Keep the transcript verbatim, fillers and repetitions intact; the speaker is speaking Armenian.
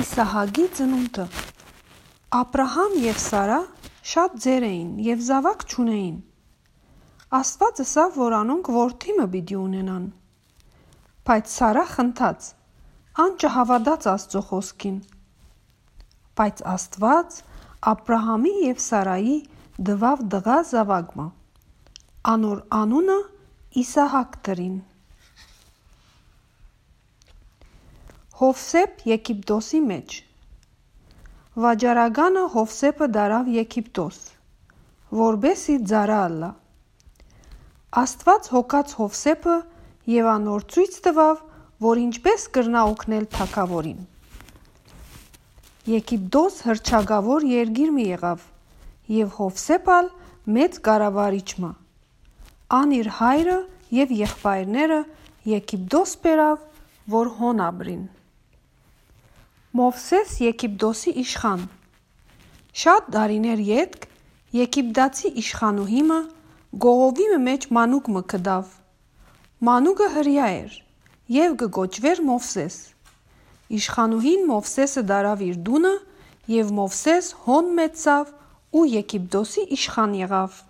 Իսահակի ծնունդը։ Աբրահամ և Սարա շատ ձեր էին և զավակ չունեին։ Աստված ըսավ, որ անոնք որդի մը պիտի ունենան։ Բայց Սարա խնդաց, ան չհավատաց Աստծո խոսքին։ Բայց Աստված Աբրահամի և Սարայի դվավ դղա զավակ մը, անոր անունը Իսահակ դրին։ Հովսեփ Եգիպտոսի մեջ։ Վաճառականը Հովսեփը դարավ Եգիպտոս, որբեսի ծառա ըլլա։ Աստված հոգաց Հովսեփը և անոր ցույց տվավ, որ ինչպես կրնա օգնել թագավորին։ Եգիպտոս հռչակավոր երկիր մի եղավ, և Հովսեփ ալ մեծ կառավարիչ մը։ Ան իր հայրը և եղբայրները Եգիպտոս բերավ, որ հոն ապրին։ Մովսես Եգիպտոսի իշխան։ Շատ տարիներ ետք Եգիպտացի իշխանուհի մը գողովի մեջ մանուկ մը գտավ։ Մանուկը հրեա էր և կկոչվեր Մովսես։ Իշխանուհին Մովսեսը դարավ իր տունը, և Մովսես հոն մեծավ ու Եգիպտոսի իշխան եղավ։